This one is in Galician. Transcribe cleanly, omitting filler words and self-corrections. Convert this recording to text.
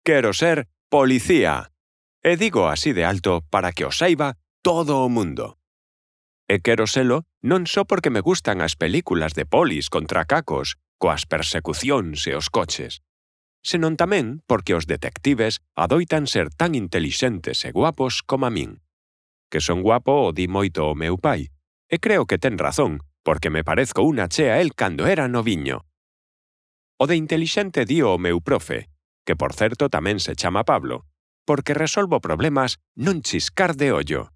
Quero ser policía. E digo así de alto para que o saiba todo o mundo. E quero selo non só porque me gustan as películas de polis contra cacos, coas persecucións e os coches, senón tamén porque os detectives adoitan ser tan intelixentes e guapos como a min. Que son guapo o di moito o meu pai, e creo que ten razón, porque me parezco unha chea a el cando era noviño. O de intelixente dio o meu profe, que por certo tamén se chama Pablo, porque resolvo problemas nun chiscar de ollo.